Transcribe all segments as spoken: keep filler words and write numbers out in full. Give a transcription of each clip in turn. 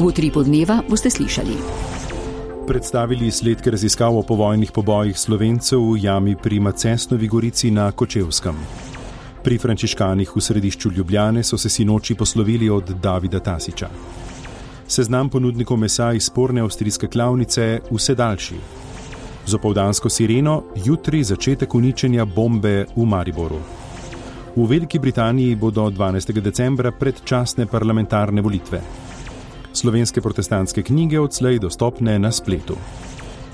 V utripu dneva boste slišali. Predstavili izsledke raziskav o povojnih pobojih Slovencev v jami pri Macesnovi Gorici na Kočevskem. Pri frančiškanih v središču Ljubljane so se sinoči poslovili od Davida Tasića. Seznam ponudnikov mesa iz sporne avstrijske klavnice vse daljši. Z opoldansko sireno jutri začetek uničenja bombe v Mariboru. V Veliki Britaniji bodo dvanajstega decembra predčasne parlamentarne volitve. Slovenske protestantske knjige odslej dostopne na spletu.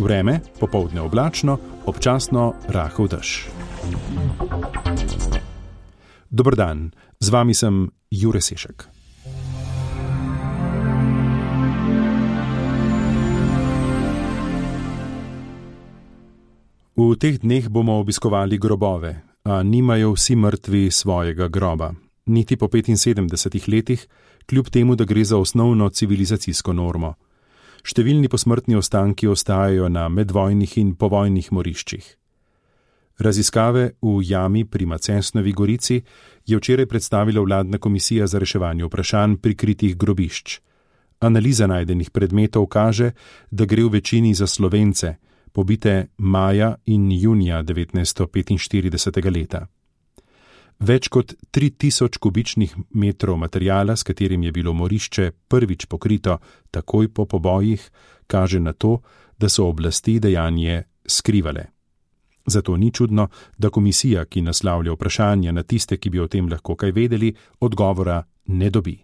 Vreme, popoldne oblačno, občasno rahel dež. Dober dan, z vami sem Jure Sešek. V teh dneh bomo obiskovali grobove, a nimajo vsi mrtvi svojega groba. Niti po petinsedemdesetih letih, kljub temu, da gre za osnovno civilizacijsko normo. Številni posmrtni ostanki ostajajo na medvojnih in povojnih moriščih. Raziskave v jami pri Macesnovi Gorici je včeraj predstavila vladna komisija za reševanje vprašanj prikritih grobišč. Analiza najdenih predmetov kaže, da gre v večini za Slovence, pobite maja in junija devetnajststo petinštiridesetega leta. Več kot tri tisoč kubičnih metrov materijala, s katerim je bilo morišče prvič pokrito takoj po pobojih, kaže na to, da so oblasti dejanje skrivale. Zato ni čudno, da komisija, ki naslavlja vprašanja na tiste, ki bi o tem lahko kaj vedeli, odgovora ne dobi.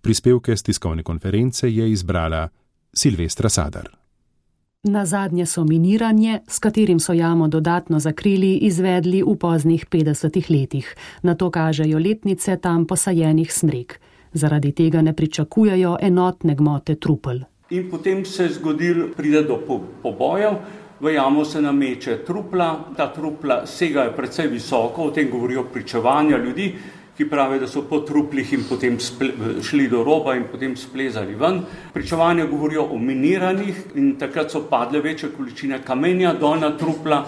Prispevke s tiskovne konference je izbrala Silvestra Sadar. Nazadnje so miniranje, s katerim so jamo dodatno zakrili, izvedli v poznih petdesetih letih. Na to kažejo letnice tam posajenih smrek. Zaradi tega ne pričakujejo enotne gmote trupel. In potem se je zgodil, pride do pobojev, v jamo se nameče trupla, ta trupla segajo precej visoko, o tem govorijo pričevanja ljudi, ki pravijo, da so po truplih in potem šli do roba in potem splezali ven. Pričevanja govorijo o miniranih in takrat so padle večje količine kamenja, dolna trupla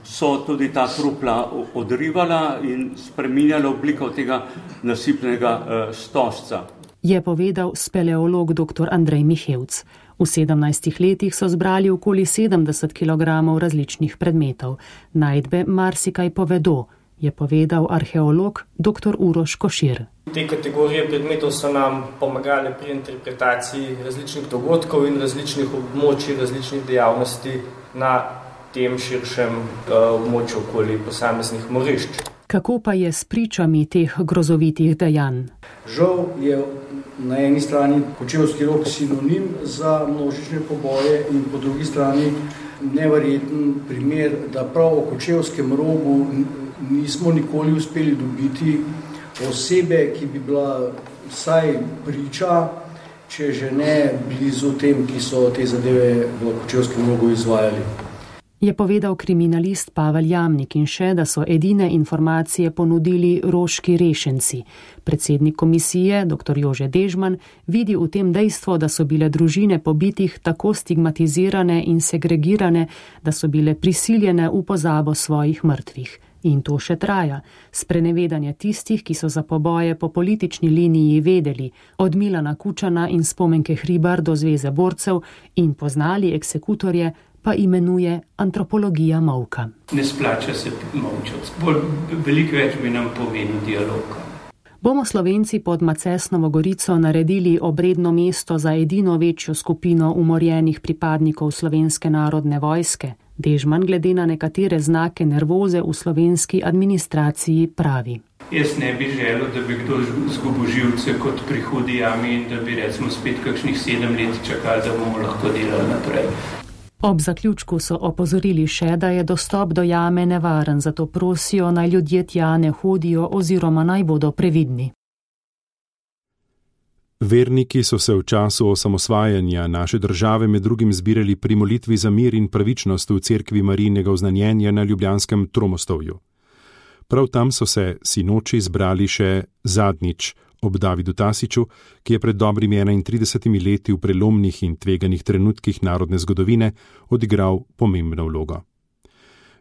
so tudi ta trupla odrivala in spreminjala obliko tega nasipnega uh, stožca. Je povedal speleolog dr. Andrej Mihevc. V sedemnajstih letih so zbrali okoli sedemdeset kilogramov različnih predmetov. Najdbe marsikaj povedo, je povedal arheolog dr. Uroš Košir. Te kategorije predmetov so nam pomagale pri interpretaciji različnih dogodkov in različnih območij, različnih dejavnosti na tem širšem uh, območju okoli posameznih morišč. Kako pa je s pričami teh grozovitih dejanj? Žal je na eni strani Kočevski rog sinonim za množične poboje in po drugi strani neverjeten primer, da prav o Kočevskem rogu nismo nikoli uspeli dobiti osebe, ki bi bila vsaj priča, če že ne blizu tem, ki so te zadeve v Kočevskem rogu izvajali. Je povedal kriminalist Pavel Jamnik in še, da so edine informacije ponudili roški rešenci. Predsednik komisije, dr. Jože Dežman, vidi v tem dejstvo, da so bile družine pobitih tako stigmatizirane in segregirane, da so bile prisiljene v pozabo svojih mrtvih. In to še traja. Sprenevedanje tistih, ki so za poboje po politični liniji vedeli, od Milana Kučana in Spomenke Hribar do Zveze borcev in poznali eksekutorje, pa imenuje antropologija molka. Ne splača se molčati. Bolj veliko več bi nam pomenil dialog. Bomo Slovenci pod Macesnovo Gorico naredili obredno mesto za edino večjo skupino umorjenih pripadnikov Slovenske narodne vojske? Dežman glede na nekatere znake nervoze v slovenski administraciji pravi. Jaz ne bi želel, da bi kdo zgubil živce kot pri hudi jami in da bi recimo spet kakšnih sedem let čakali, da bomo lahko delali naprej. Ob zaključku so opozorili še, da je dostop do jame nevaren, zato prosijo, naj ljudje tja ne hodijo oziroma naj bodo previdni. Verniki so se v času osamosvajanja naše države med drugim zbirali pri molitvi za mir in pravičnost v cerkvi Marijinega oznanjenja na ljubljanskem Tromostovju. Prav tam so se sinoči zbrali še zadnjič ob Davidu Tasiću, ki je pred dobrimi enaintridesetimi leti v prelomnih in tveganih trenutkih narodne zgodovine odigral pomembno vlogo.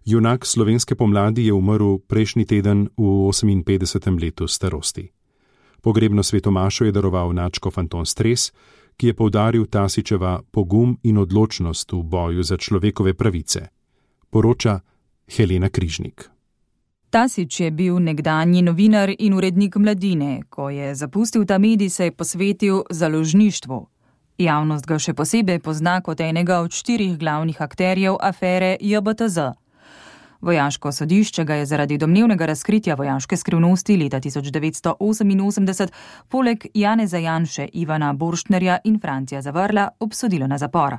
Junak slovenske pomladi je umrl prejšnji teden v oseminpetdesetem letu starosti. Pogrebno svetomašo je daroval nadškof Anton Stres, ki je poudaril Tasićeva pogum in odločnost v boju za človekove pravice. Poroča Helena Križnik. Tasić je bil nekdanji novinar in urednik Mladine. Ko je zapustil ta medij, se je posvetil založništvu. Javnost ga še posebej pozna kot enega od štirih glavnih akterjev afere J B T Z. Vojaško sodišče ga je zaradi domnevnega razkritja vojaške skrivnosti leta tisoč devetsto oseminosemdeset poleg Janeza Janše, Ivana Borštnerja in Francija Zavrla obsodilo na zapor.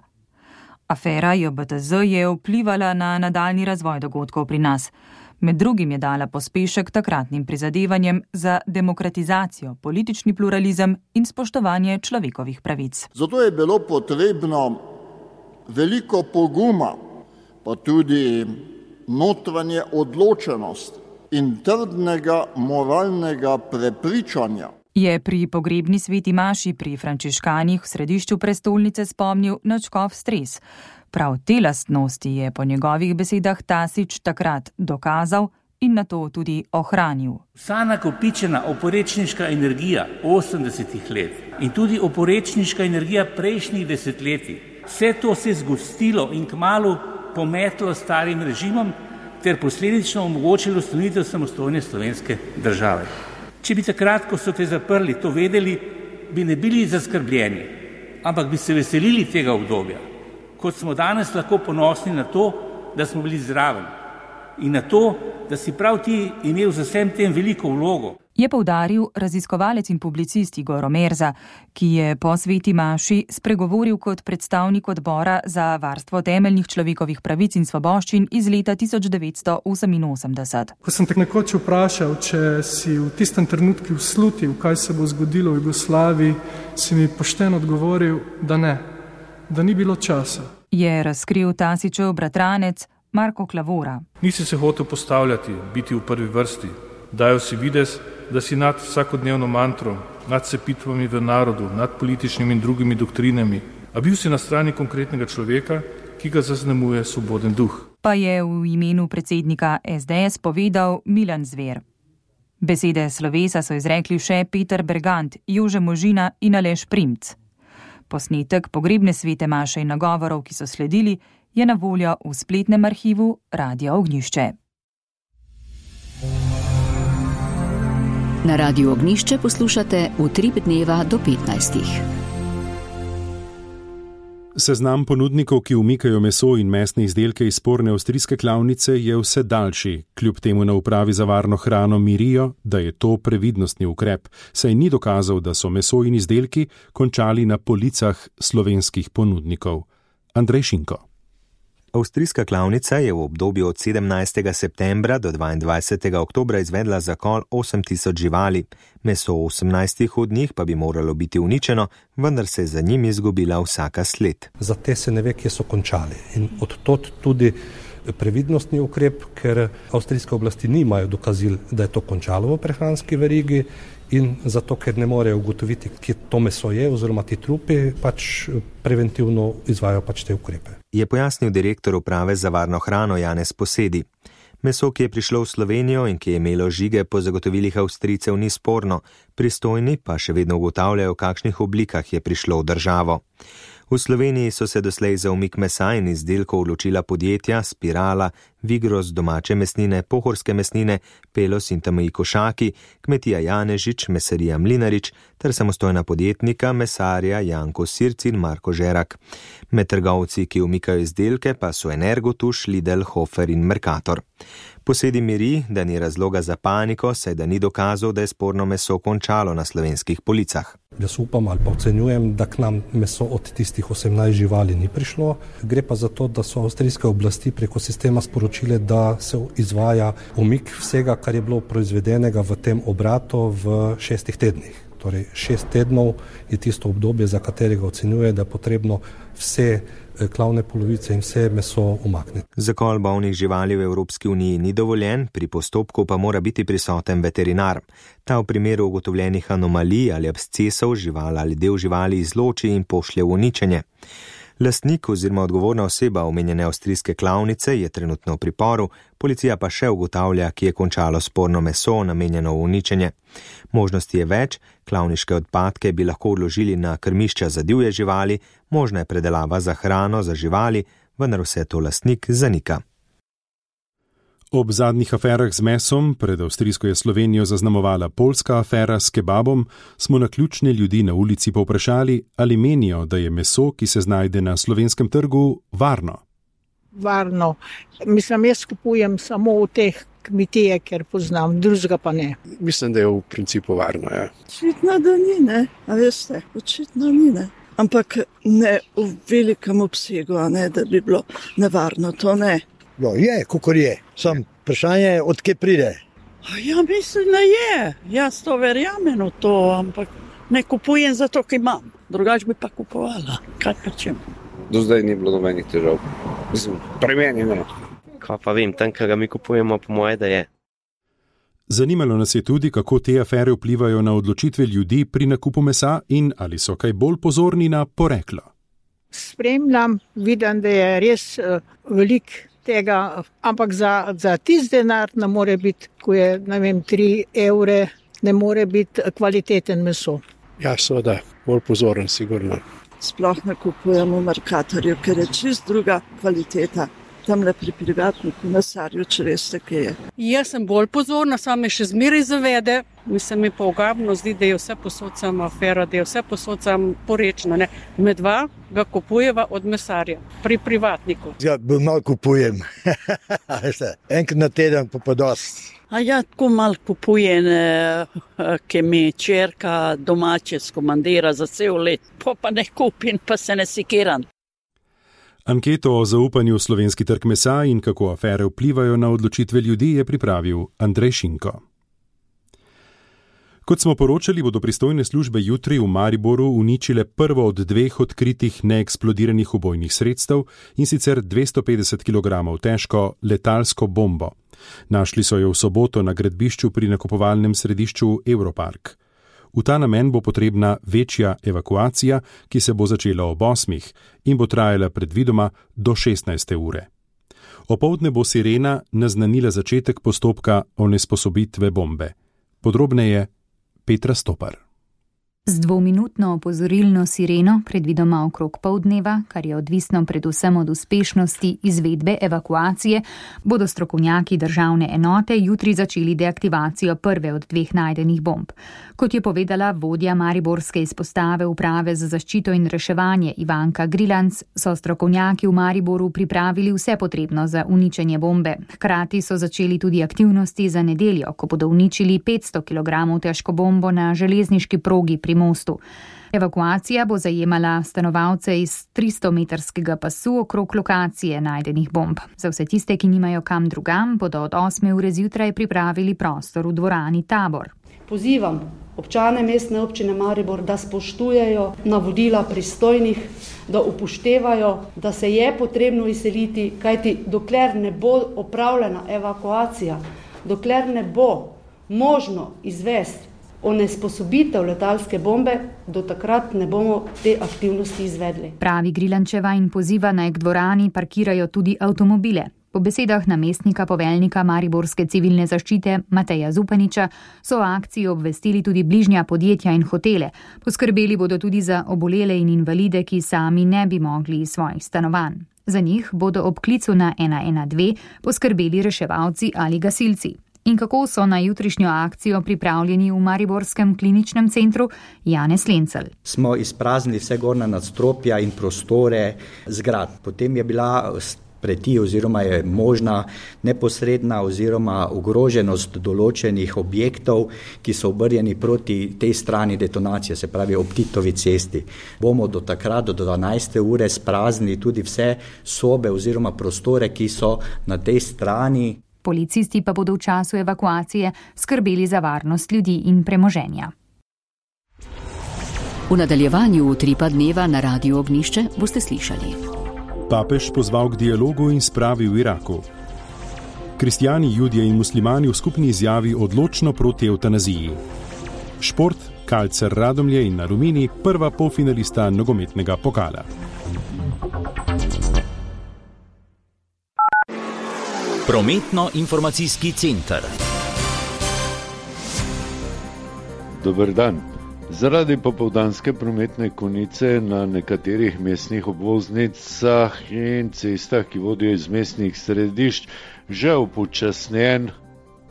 Afera J B T Z je vplivala na nadaljni razvoj dogodkov pri nas. Med drugim je dala pospešek takratnim prizadevanjem za demokratizacijo, politični pluralizem in spoštovanje človekovih pravic. Zato je bilo potrebno veliko poguma, pa tudi notranje odločenost in trdnega moralnega prepričanja. Je pri pogrebni sveti maši pri frančiškanih v središču prestolnice spomnil na škof Stres. Prav te lastnosti je po njegovih besedah Tasić takrat dokazal in nato tudi ohranil. Vsa nakopičena oporečniška energija osemdesetih let in tudi oporečniška energija prejšnjih desetletij, vse to se je zgostilo in kmalu pometlo starim režimom ter posledično omogočilo ustanovitev samostojne slovenske države. Če bi takrat, ko so te zaprli, to vedeli, bi ne bili zaskrbljeni, ampak bi se veselili tega obdobja. Kot smo danes lahko ponosni na to, da smo bili zraven in na to, da si prav ti imel za vsem tem veliko vlogo. Je poudaril raziskovalec in publicist Igor Omerza, ki je po sveti maši spregovoril kot predstavnik odbora za varstvo temeljnih človekovih pravic in svoboščin iz leta tisoč devetsto oseminosemdeset. Ko sem te nekoč vprašal, če si v tistem trenutku slutil, kaj se bo zgodilo v Jugoslaviji, si mi pošteno odgovoril, da ne, da ni bilo časa. Je razkril Tasićev bratranec Marko Klavora. Nisi se hotel postavljati, biti v prvi vrsti. Dajo si videz, da si nad vsakodnevno mantro, nad sepitvami v narodu, nad političnimi in drugimi doktrinami, a bil si na strani konkretnega človeka, ki ga zaznamuje svoboden duh. Pa je v imenu predsednika S D S povedal Milan Zver. Besede slovesa so izrekli še Peter Bergant, Jože Možina in Aleš Primc. Posnetek pogrebne svete maše in nagovorov, ki so sledili, je na voljo v spletnem arhivu Radia Ognjišče. Na Radiu Ognjišče poslušate Utrip dneva do petnajstih. Seznam ponudnikov, ki umikajo meso in mesne izdelke iz sporne avstrijske klavnice, je vse daljši. Kljub temu na upravi za varno hrano mirijo, da je to previdnostni ukrep, saj ni dokazal, da so meso in izdelki končali na policah slovenskih ponudnikov. Andrej Šinko. Avstrijska klavnica je v obdobju od sedemnajstega septembra do dvaindvajsetega oktobra izvedla zakol osem tisoč živali. Meso osemnajstih od njih pa bi moralo biti uničeno, vendar se je za njim izgubila vsaka sled. Za te se ne ve, kje so končali. In odtot tudi previdnostni ukrep, ker avstrijske oblasti nimajo dokazil, da je to končalo v prehranski verigi, in zato, ker ne morejo ugotoviti, kje to meso je oziroma ti trupi, pač preventivno izvajo pač te ukrepe. Je pojasnil direktor uprave za varno hrano Janez Posedi. Meso, ki je prišlo v Slovenijo in ki je imelo žige po zagotovilih Avstrijcev, ni sporno, pristojni pa še vedno ugotavljajo, v kakšnih oblikah je prišlo v državo. V Sloveniji so se doslej za umik mesa in izdelkov odločila podjetja Spirala, Vigros domače mesnine, Pohorske mesnine, Pelos in T M I Košaki, kmetija Janežič, mesarija Mlinarič ter samostojna podjetnika mesarja Janko Sirc in Marko Žerak. Med trgovci, ki umikajo izdelke, pa so Energotuš, Lidl, Hofer in Mercator. Posedi miri, da ni razloga za paniko, saj da ni dokazal, da je sporno meso končalo na slovenskih policah. Jaz upam ali pa ocenjujem, da k nam meso od tistih osemnajst živali ni prišlo. Gre pa za to, da so avstrijske oblasti preko sistema sporočile, da se izvaja umik vsega, kar je bilo proizvedenega v tem obratu v šestih tednih. Torej, šest tednov je tisto obdobje, za katerega ocenjuje, da je potrebno vse klavne polovice in vse meso umakniti. Zakol bolnih živali v Evropski uniji ni dovoljen, pri postopku pa mora biti prisoten veterinar. Ta v primeru ugotovljenih anomalij ali abscesov živali ali del živali izloči in pošlje v uničenje. Lastnik oziroma odgovorna oseba omenjene avstrijske klavnice je trenutno v priporu, policija pa še ugotavlja, ki je končalo sporno meso namenjeno v uničenje. Možnosti je več, klavniške odpadke bi lahko odložili na krmišča za divje živali, možna je predelava za hrano za živali, vendar vse to lastnik zanika. Ob zadnjih aferah z mesom, pred avstrijsko je Slovenijo zaznamovala poljska afera s kebabom, smo naključne ljudi na ulici povprašali, ali menijo, da je meso, ki se znajde na slovenskem trgu, varno. Varno. Mislim, jaz kupujem samo v teh kmetije, ker poznam, drugega pa ne. Mislim, da je v principu varno, ja. Očitno, da ni, ne. A veste, očitno ni, ne. Ampak ne v velikem obsegu, ne, da bi bilo nevarno, to ne. No, je, kakor je. Sam vprašanje, od kje pride? Ja, mislim, da je. Jaz to verjamem v to, ampak ne kupujem zato, ker imam. Drugač bi pa kupovala. Kaj pa čem? Do zdaj ni bilo nobenih težav. Mislim, pri meni ne. Kaj pa vem, tam, kaj ga mi kupujemo, po moje, da je. Zanimalo nas je tudi, kako te afere vplivajo na odločitve ljudi pri nakupu mesa in ali so kaj bolj pozorni na poreklo. Spremljam, vidim, da je res uh, velik tega, ampak za, za tisti denar ne more biti, ko je, ne vem, tri evre, ne more biti kvaliteten meso. Ja, seveda, bolj pozoren, sigurno. Sploh ne kupujemo v Mercatorju, ker je čist druga kvaliteta. Tamle pri privatniku mesarju, če veste, kaj je. Jaz sem bolj pozorna, sam me še zmeraj zavede. Mislim, mi pa ogabno zdi, da je vse posod sam afera, da je vse posod sam porečno. Ne? Med dva ga kupujeva od mesarja, pri privatniku. Ja, malo kupujem. Enkrat na teden pa pa dost. A ja, tako malo kupujem, ki mi čerka domače skomandira za cel let. Pa pa ne kupim, pa se ne sikiram. Anketo o zaupanju v slovenski trg mesa in kako afere vplivajo na odločitve ljudi je pripravil Andrej Šinko. Kot smo poročali, bodo pristojne službe jutri v Mariboru uničile prvo od dveh odkritih neeksplodiranih ubojnih sredstev, in sicer dvesto petdeset kilogramov težko letalsko bombo. Našli so jo v soboto na gradbišču pri nakupovalnem središču Europark. V ta namen bo potrebna večja evakuacija, ki se bo začela ob osmih in bo trajala predvidoma do šestnajste ure. Opoldne bo sirena naznanila začetek postopka onesposobitve bombe. Podrobneje Petra Stopar. Z dvominutno opozorilno sireno, predvidoma okrog pol dneva, kar je odvisno predvsem od uspešnosti izvedbe evakuacije, bodo strokovnjaki državne enote jutri začeli deaktivacijo prve od dveh najdenih bomb. Kot je povedala vodja mariborske izpostave uprave za zaščito in reševanje Ivanka Grilanc, so strokovnjaki v Mariboru pripravili vse potrebno za uničenje bombe. Hkrati so začeli tudi aktivnosti za nedeljo, ko bodo uničili petsto kilogramov težko bombo na železniški progi pri mostu. Evakuacija bo zajemala stanovalce iz tristometrskega pasu okrog lokacije najdenih bomb. Za vse tiste, ki nimajo kam drugam, bodo od osme ure zjutraj pripravili prostor v dvorani Tabor. Pozivam občane mestne občine Maribor, da spoštujejo navodila pristojnih, da upoštevajo, da se je potrebno izseliti, kajti dokler ne bo opravljena evakuacija, dokler ne bo možno izvesti onesposobitev letalske bombe, do takrat ne bomo te aktivnosti izvedli. Pravi Grilančeva in poziva naj k dvorani parkirajo tudi avtomobile. Po besedah namestnika poveljnika Mariborske civilne zaščite Mateja Zupaniča so o akciji obvestili tudi bližnja podjetja in hotele. Poskrbeli bodo tudi za obolele in invalide, ki sami ne bi mogli iz svojih stanovanj. Za njih bodo ob klicu na ena ena dve poskrbeli reševalci ali gasilci. In kako so na jutrišnjo akcijo pripravljeni v Mariborskem kliničnem centru? Janez Lencelj. Smo izpraznili vse gornja nadstropja in prostore zgrad. Potem je bila preti oziroma je možna neposredna oziroma ogroženost določenih objektov, ki so obrnjeni proti tej strani detonacije, se pravi ob Titovi cesti. Bomo do takrat, do dvanajste ure spraznili tudi vse sobe oziroma prostore, ki so na tej strani. Policisti pa bodo v času evakuacije skrbeli za varnost ljudi in premoženja. V nadaljevanju utripa dneva na Radiu Ognjišče boste slišali. Papež pozval k dialogu in spravi v Iraku. Kristjani, Judje in muslimani v skupni izjavi odločno proti evtanaziji. Šport, Kalcer Radomlje in Aluminij, prva polfinalista nogometnega pokala. Prometno-informacijski center. Dober dan. Zaradi popoldanske prometne konice na nekaterih mestnih obvoznicah in cestah, ki vodijo iz mestnih središč, že upočasnjen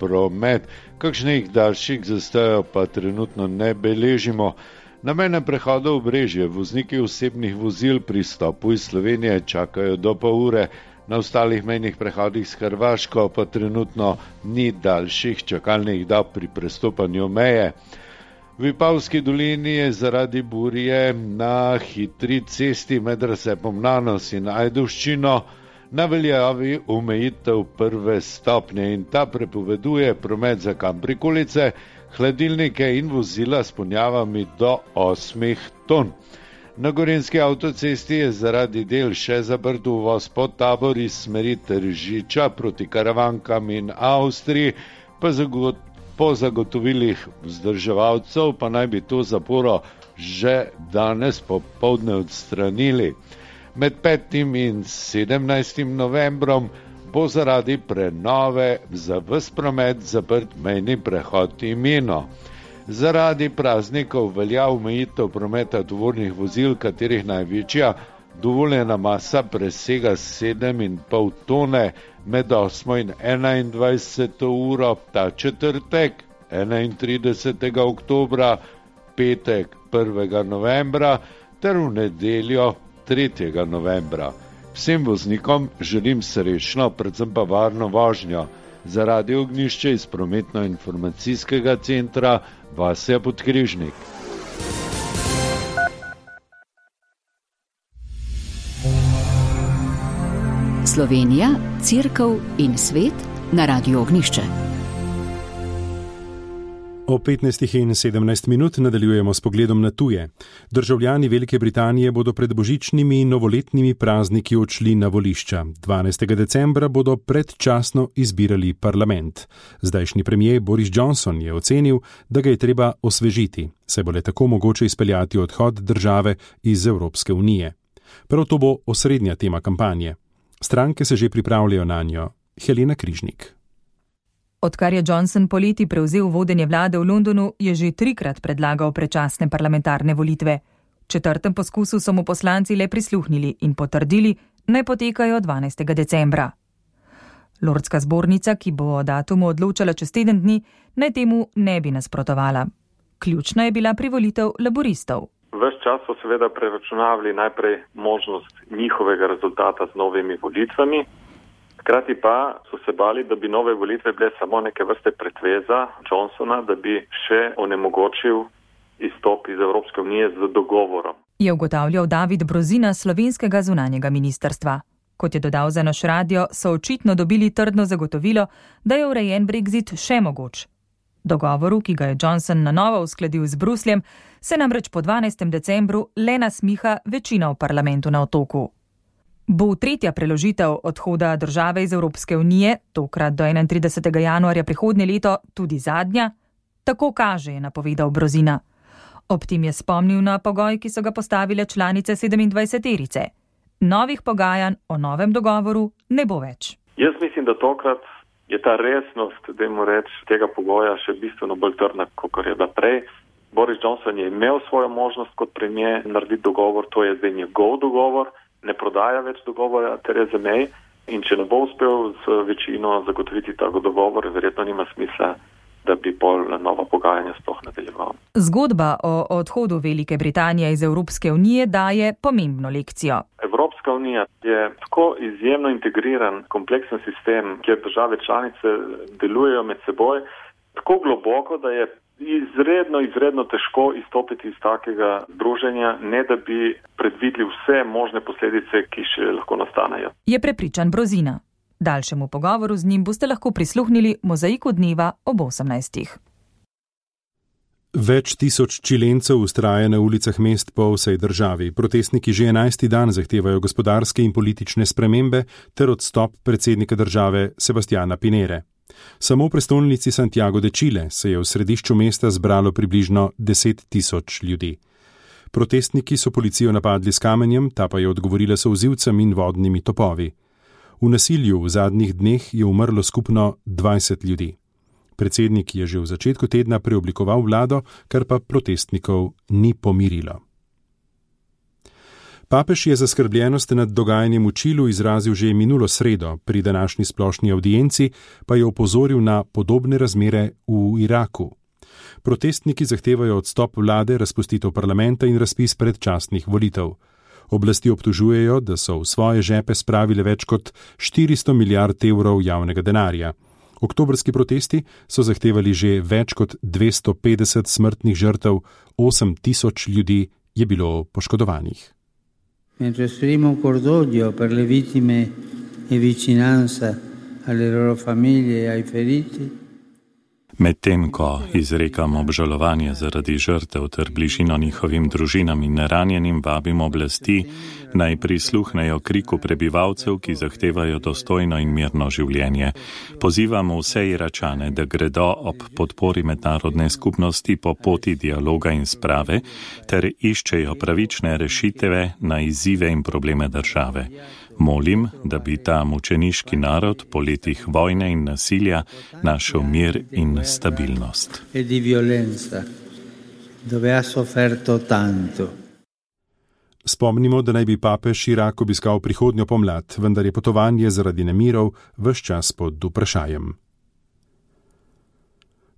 promet, kakšnih daljših zastojev pa trenutno ne beležimo. Na mejnem prehodu Obrežje vozniki osebnih vozil pri stopu iz Slovenije čakajo do pol ure, na ostalih mejnih prehodih s Hrvaško pa trenutno ni daljših čakalnih dob pri prestopanju meje. V Vipavski dolini je zaradi burje na hitri cesti med razcepom Nanos in Ajdovščino na veljavi omejitev prve stopnje in ta prepoveduje promet za kamprikolice, hladilnike in vozila s ponjavami do osmih ton. Na Gorenjski avtocesti je zaradi del še zaprt uvoz pod Tabor iz smeri Tržiča proti Karavankam in Avstriji, pa zagot, po zagotovilih vzdrževalcev pa naj bi to zaporo že danes popoldne odstranili. Med petim in sedemnajstim novembrom bo zaradi prenove za ves promet zaprt mejni prehod Imino. Zaradi praznikov velja omejitev prometa tovornih vozil, katerih največja dovoljena masa presega sedem in pol tone med osmo in enaindvajseto uro ta četrtek, enaintridesetega oktobra, petek prvega novembra ter v nedeljo tretjega novembra. Vsem voznikom želim srečno, predvsem pa varno vožnjo. Za Radio Ognjišče iz Prometno-informacijskega centra Vasja Podkrižnik. Slovenija, Cerkev in svet na Radio Ognjišče. O petnajstih in sedemnajst minut nadaljujemo s pogledom na tuje. Državljani Velike Britanije bodo pred božičnimi in novoletnimi prazniki odšli na volišča. dvanajstega decembra bodo predčasno izbirali parlament. Zdajšnji premijer Boris Johnson je ocenil, da ga je treba osvežiti, saj bo le tako mogoče izpeljati odhod države iz Evropske unije. Prav to bo osrednja tema kampanje. Stranke se že pripravljajo na njo. Helena Križnik. Odkar je Johnson poleti prevzel vodenje vlade v Londonu, je že trikrat predlagal predčasne parlamentarne volitve. V četrtem poskusu so mu poslanci le prisluhnili in potrdili, naj potekajo dvanajstega decembra. Lordska zbornica, ki bo o datumu odločala čez teden dni, naj temu ne bi nasprotovala. Ključna je bila privolitev laboristov. Ves čas so seveda preračunavali najprej možnost njihovega rezultata z novimi volitvami. Hkrati pa so se bali, da bi nove volitve bile samo neke vrste pretveza Johnsona, da bi še onemogočil izstop iz Evropske unije z dogovorom. Je ugotavljal David Brozina z slovenskega zunanjega ministrstva. Kot je dodal za naš radio, so očitno dobili trdno zagotovilo, da je urejen Brexit še mogoč. Dogovoru, ki ga je Johnson na novo uskladil z Brusljem, se namreč po dvanajstem decembru le nasmiha večina v parlamentu na Otoku. Bo tretja preložitev odhoda države iz Evropske unije, tokrat do enaintridesetega januarja prihodnje leto, tudi zadnja? Tako kaže, je napovedal Brozina. Ob tem je spomnil na pogoj, ki so ga postavile članice sedemindvajseterice. Novih pogajanj o novem dogovoru ne bo več. Jaz mislim, da tokrat je ta resnost, dajmo reči, tega pogoja še bistveno bolj trdna, kot je bila prej. Boris Johnson je imel svojo možnost kot premier narediti dogovor, to je zdaj njegov dogovor. Ne prodaja več dogovora Therese May in če ne bo uspel z večino zagotoviti tako dogovor, verjetno nima smisla, da bi pol nova pogajanja sploh nadaljeval. Zgodba o odhodu Velike Britanije iz Evropske unije daje pomembno lekcijo. Evropska unija je tako izjemno integriran, kompleksen sistem, kjer države članice delujejo med seboj, tako globoko, da je izredno, izredno težko izstopiti iz takega združenja, ne da bi predvideli vse možne posledice, ki še lahko nastanejo. Je prepričan Brozina. Daljšemu pogovoru z njim boste lahko prisluhnili Mozaiku dneva ob osemnajstih. Več tisoč Čilencev vztraja na ulicah mest po vsej državi. Protestniki že enajsti dan zahtevajo gospodarske in politične spremembe ter odstop predsednika države Sebastiana Pinere. Samo v prestolnici Santiago de Chile se je v središču mesta zbralo približno deset tisoč ljudi. Protestniki so policijo napadli s kamenjem, ta pa je odgovorila solzivcem in vodnimi topovi. V nasilju v zadnjih dneh je umrlo skupno dvajset ljudi. Predsednik je že v začetku tedna preoblikoval vlado, kar pa protestnikov ni pomirilo. Papež je zaskrbljenost nad dogajanjem v Čilu izrazil že minulo sredo, pri današnji splošni avdienci pa je opozoril na podobne razmere v Iraku. Protestniki zahtevajo odstop vlade, razpustitev parlamenta in razpis predčasnih volitev. Oblasti obtožujejo, da so v svoje žepe spravile več kot štiristo milijard evrov javnega denarja. Oktobrski protesti so zahtevali že več kot dvesto petdeset smrtnih žrtev, osem tisoč ljudi je bilo poškodovanih. Mentre esprimo cordoglio per le vittime e vicinanza alle loro famiglie e ai feriti. Medtem, ko izrekam obžalovanje zaradi žrtev ter bližino njihovim družinam in ranjenim, vabim oblasti, naj prisluhnejo kriku prebivalcev, ki zahtevajo dostojno in mirno življenje. Pozivam vse Iračane, da gredo ob podpori mednarodne skupnosti po poti dialoga in sprave, ter iščejo pravične rešitve na izzive in probleme države. Molim, da bi ta mučeniški narod po letih vojne in nasilja našel mir in stabilnost. Spomnimo, da naj bi papež Irak obiskal prihodnjo pomlad, vendar je potovanje zaradi nemirov ves čas pod vprašajem.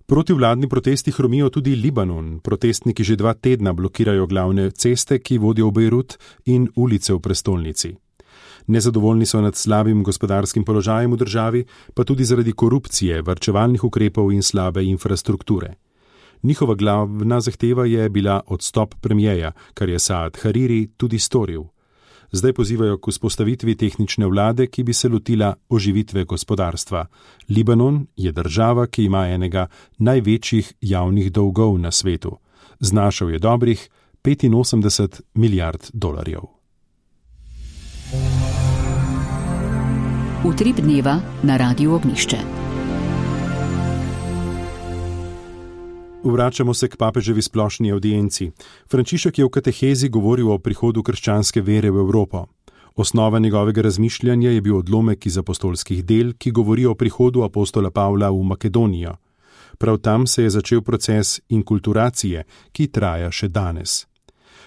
Protivladni protesti hromijo tudi Libanon. Protestniki že dva tedna blokirajo glavne ceste, ki vodijo v Bejrut, in ulice v prestolnici. Nezadovoljni so nad slabim gospodarskim položajem v državi, pa tudi zaradi korupcije, varčevalnih ukrepov in slabe infrastrukture. Njihova glavna zahteva je bila odstop premijeja, kar je Saad Hariri tudi storil. Zdaj pozivajo k vzpostavitvi tehnične vlade, ki bi se lotila oživitve gospodarstva. Libanon je država, ki ima enega največjih javnih dolgov na svetu. Znašal je dobrih petinosemdeset milijard dolarjev. Utrip dneva na Radiu Ognjišče. Vračamo se k papeževi splošni avdienci. Frančišek je v katehezi govoril o prihodu krščanske vere v Evropo. Osnova njegovega razmišljanja je bil odlomek iz apostolskih del, ki govori o prihodu apostola Pavla v Makedonijo. Prav tam se je začel proces inkulturacije, ki traja še danes.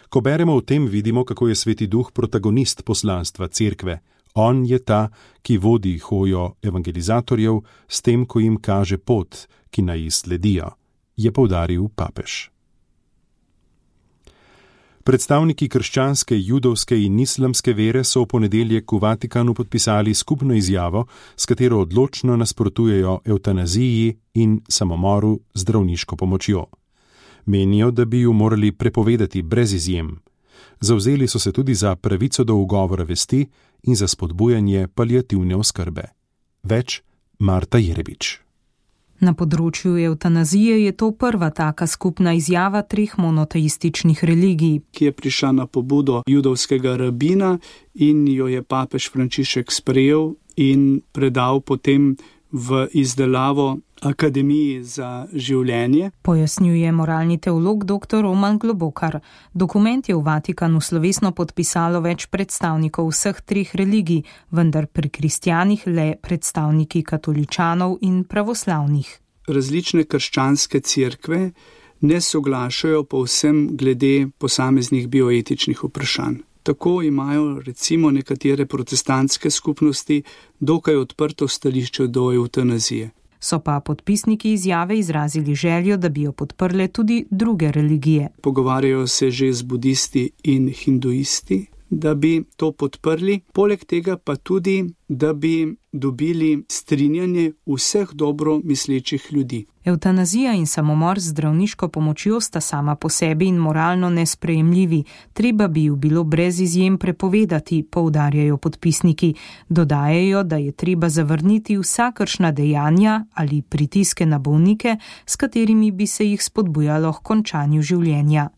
Ko beremo o tem, vidimo, kako je Sveti Duh protagonist poslanstva cerkve. On je ta, ki vodi hojo evangelizatorjev s tem, ko jim kaže pot, ki naj ji sledijo, je poudaril papež. Predstavniki krščanske, judovske in islamske vere so v ponedeljek v Vatikanu podpisali skupno izjavo, s katero odločno nasprotujejo evtanaziji in samomoru z zdravniško pomočjo. Menijo, da bi ju morali prepovedati brez izjem. Zavzeli so se tudi za pravico do ugovora vesti in za spodbujanje paliativne oskrbe. Več Marta Jerebič. Na področju evtanazije je to prva taka skupna izjava treh monoteističnih religij, ki je prišla na pobudo judovskega rabina in jo je papež Frančišek sprejel in predal potem v izdelavo Akademiji za življenje. Pojasnjuje moralni teolog dr. Roman Globokar. Dokument je v Vatikanu slovesno podpisalo več predstavnikov vseh treh religij, vendar pri kristjanih le predstavniki katoličanov in pravoslavnih. Različne krščanske cerkve ne soglašajo povsem glede posameznih bioetičnih vprašanj. Tako imajo recimo nekatere protestantske skupnosti dokaj odprto stališče do evtanazije. So pa podpisniki izjave izrazili željo, da bi jo podprle tudi druge religije. Pogovarjajo se že z budisti in hinduisti, da bi to podprli, poleg tega pa tudi, da bi dobili strinjanje vseh dobro mislečih ljudi. Evtanazija in samomor z zdravniško pomočjo sta sama po sebi in moralno nesprejemljivi, treba bi ju bilo brez izjem prepovedati, poudarjajo podpisniki. Dodajajo, da je treba zavrniti vsakršna dejanja ali pritiske na bolnike, s katerimi bi se jih spodbujalo k končanju življenja.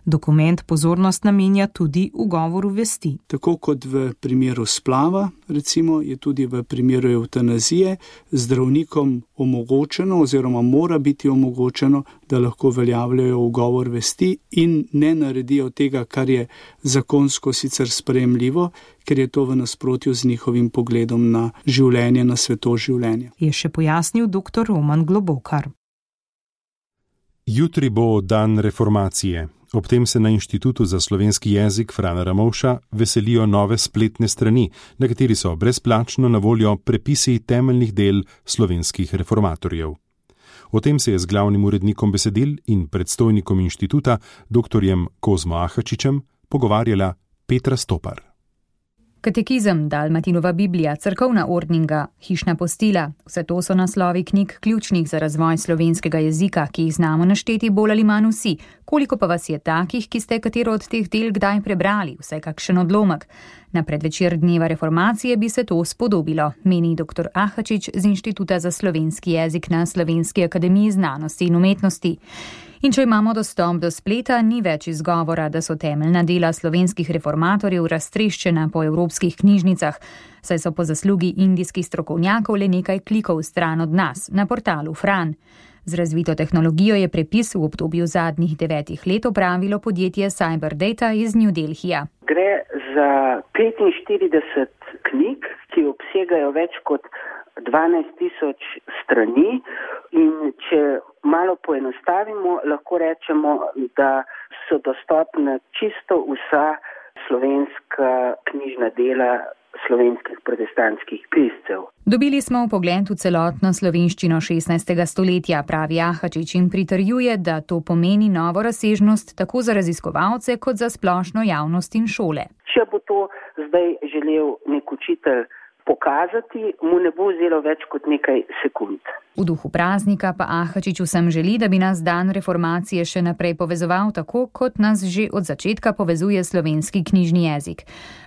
Dokument pozornost namenja tudi ugovoru vesti. Tako kot v primeru splava, recimo, je tudi v primeru evtanazije zdravnikom omogočeno oziroma mora biti omogočeno, da lahko uveljavljajo ugovor vesti in ne naredijo tega, kar je zakonsko sicer sprejemljivo, ker je to v nasprotju z njihovim pogledom na življenje, na sveto življenja. Je še pojasnil dr. Roman Globokar. Jutri bo dan reformacije. Ob tem se na Inštitutu za slovenski jezik Frana Ramovša veselijo nove spletne strani, na kateri so brezplačno na voljo prepisi temeljnih del slovenskih reformatorjev. O tem se je z glavnim urednikom besedil in predstojnikom inštituta, doktorjem Kozmo Ahačičem, pogovarjala Petra Stopar. Katekizem, Dalmatinova Biblija, cerkovna ordninga, hišna postila, vse to so naslovi knjig ključnih za razvoj slovenskega jezika, ki jih znamo našteti bolj ali manj vsi. Koliko pa vas je takih, ki ste katero od teh del kdaj prebrali, vsaj kakšen odlomek? Na predvečer dneva reformacije bi se to spodobilo, meni dr. Ahačič z Inštituta za slovenski jezik na Slovenski akademiji znanosti in umetnosti. In če imamo dostop do spleta, ni več izgovora, da so temeljna dela slovenskih reformatorjev raztreščena po evropskih knjižnicah, saj so po zaslugi indijskih strokovnjakov le nekaj klikov stran od nas, na portalu Fran. Z razvito tehnologijo je prepis v obdobju zadnjih devetih let opravilo podjetje Cyberdata iz New Delhija. Gre za petinštirideset knjig, ki obsegajo več kot dvanajst tisoč strani in če malo poenostavimo, lahko rečemo, da so dostopna čisto vsa slovenska knjižna dela slovenskih protestantskih piscev. Dobili smo vpogled v celotno slovenščino šestnajstega stoletja, pravi Ahačič in pritrjuje, da to pomeni novo razsežnost tako za raziskovalce kot za splošno javnost in šole. Če bo to zdaj želel nek učitelj pokazati, mu ne bo vzelo več kot nekaj sekund. V duhu praznika pa Ahačič vsem želi, da bi nas dan reformacije še naprej povezoval tako, kot nas že od začetka povezuje slovenski knjižni jezik.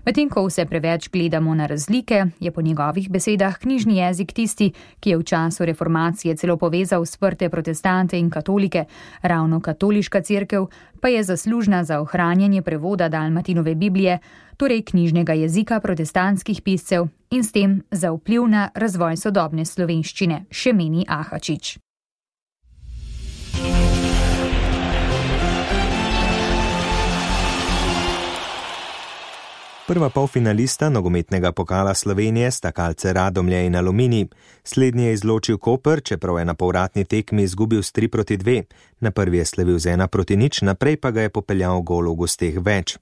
Medtem ko vse preveč gledamo na razlike, je po njegovih besedah knjižni jezik tisti, ki je v času reformacije celo povezal sprte protestante in katolike. Ravno katoliška cerkev pa je zaslužna za ohranjanje prevoda Dalmatinove Biblije, torej knjižnega jezika protestantskih piscev in s tem za vpliv na razvoj sodobne slovenščine, še meni Ahačič. Prva polfinalista nogometnega pokala Slovenije sta Kalce Radomlje in Aluminij. Slednji je izločil Koper, čeprav je na povratni tekmi izgubil s tri proti dve. Na prvi je slavil z ena proti nič, naprej pa ga je popeljal gol v gosteh več.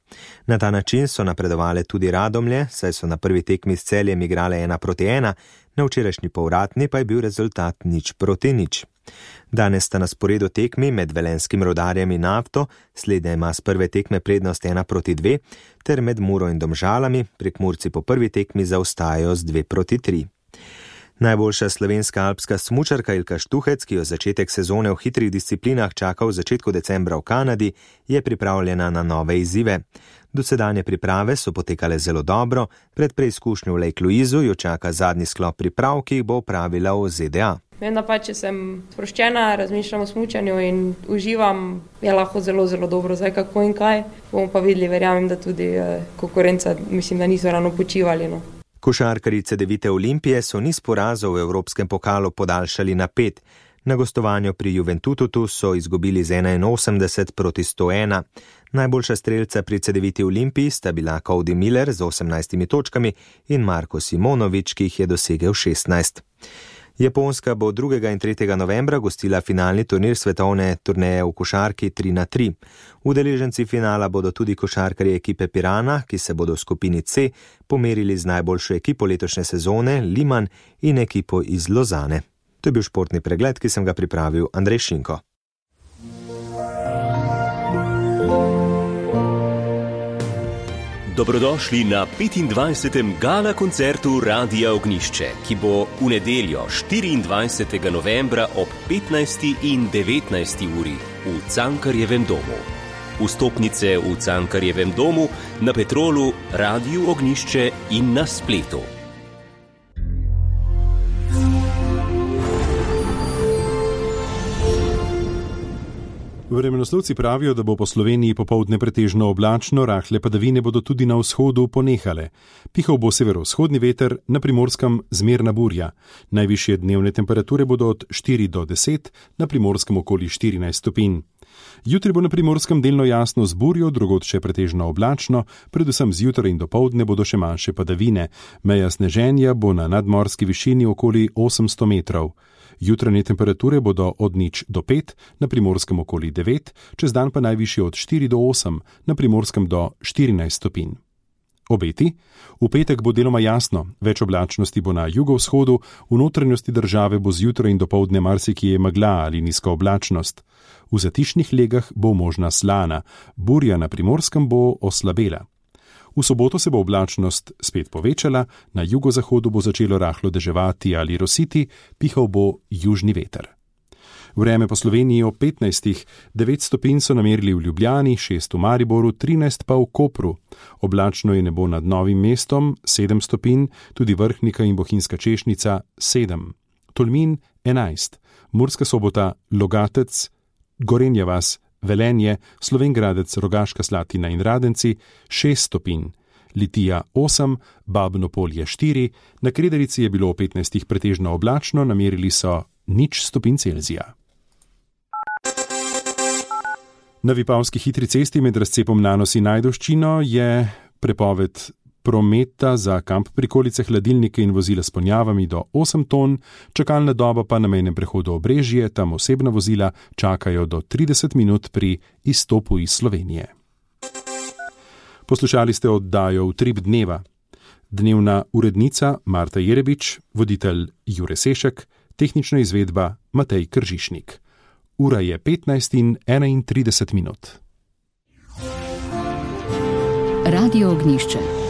Na ta način so napredovale tudi Radomlje, saj so na prvi tekmi s Celjem igrale ena proti ena, na včerajšnji povratni pa je bil rezultat nič proti nič. Danes sta na sporedu tekmi med Velenskim Rudarjem in Nafto, slednja ima s prve tekme prednost ena proti dve, ter med Muro in Domžalami, Prekmurci po prvi tekmi zaostajajo z dve proti tri. Najboljša slovenska alpska smučarka Ilka Štuhec, ki jo začetek sezone v hitrih disciplinah čaka v začetku decembra v Kanadi, je pripravljena na nove izzive. Dosedanje priprave so potekale zelo dobro, pred preizkušnjo v Lake Louisu jo čaka zadnji sklop priprav, ki jih bo opravila v Z D A. Vem, da pa če sem sproščena, razmišljam o smučanju in uživam, je lahko zelo, zelo dobro, zdaj kako in kaj. Bomo pa videli, verjamem, da tudi eh, konkurenca, mislim, da niso ravno počivali. No. Košarkarice Devite Olimpije so niz porazov v Evropskem pokalu podaljšali na pet. Na gostovanju pri Juventutu so izgubili z enainosemdeset proti sto ena. Najboljša strelca pri Cedeviti Olimpiji sta bila Cody Miller z osemnajstimi točkami in Marko Simonovič, ki jih je dosegel šestnajst. Japonska bo drugega in tretjega novembra gostila finalni turnir svetovne turneje v košarki tri na tri. Udeleženci finala bodo tudi košarkarji ekipe Pirana, ki se bodo v skupini C pomerili z najboljšo ekipo letošnje sezone, Liman, in ekipo iz Lozane. To je bil športni pregled, ki sem ga pripravil Andrej Šinko. Dobrodošli na petindvajsetem gala koncertu Radia Ognjišče, ki bo v nedeljo štiriindvajsetega novembra ob petnajsti in devetnajsti uri v Cankarjevem domu. Vstopnice v Cankarjevem domu, na Petrolu, Radiu Ognjišče in na spletu. Vremenoslovci pravijo, da bo po Sloveniji popoldne pretežno oblačno, rahle padavine bodo tudi na vzhodu ponehale. Pihal bo severovzhodni veter, na Primorskem zmerna burja. Najvišje dnevne temperature bodo od štiri do deset, na Primorskem okoli štirinajst stopinj. Jutri bo na Primorskem delno jasno z burjo, drugod še pretežno oblačno, predvsem zjutraj in dopoldne bodo še manjše padavine. Meja sneženja bo na nadmorski višini okoli osemsto metrov. Jutranje temperature bodo od nič do pet, na Primorskem okoli devet, čez dan pa najvišje od štiri do osem, na Primorskem do štirinajst stopinj. Obeti? V petek bo deloma jasno, več oblačnosti bo na jugovzhodu, v notranjosti države bo zjutraj in dopoldne marsikje megla ali nizka oblačnost. V zatišnih legah bo možna slana, burja na Primorskem bo oslabela. V soboto se bo oblačnost spet povečala, na jugozahodu bo začelo rahlo deževati ali rositi, pihal bo južni veter. Vreme po Sloveniji ob petnajstih, devet stopinj so namerili v Ljubljani, šest v Mariboru, trinajst pa v Kopru. Oblačno je nebo nad Novim mestom, sedem stopinj, tudi Vrhnika in Bohinjska Češnica, sedem. Tolmin, enajst. Murska Sobota, Logatec, Gorenja vas, Velenje, Slovengradec, Rogaška Slatina in Radenci, šest stopinj. Litija, osem, Babno Polje, štiri, na Krederici je bilo v petnajstih pretežno oblačno, namerili so nič stopinj Celzija. Na Vipavski hitri cesti med razcepom Nanos in Ajdovščino je prepoved prometa za kamp prikolice, hladilnike in vozila s ponjavami do osem ton, čakalna doba pa na mejnem prehodu Obrežje, tam osebna vozila čakajo do trideset minut pri izstopu iz Slovenije. Poslušali ste oddajo Utrip dneva. Dnevna urednica Marta Jerebič, voditelj Jure Sešek, tehnična izvedba Matej Kržišnik. Ura je petnajst in enaintrideset minut. Radio Ognjišče.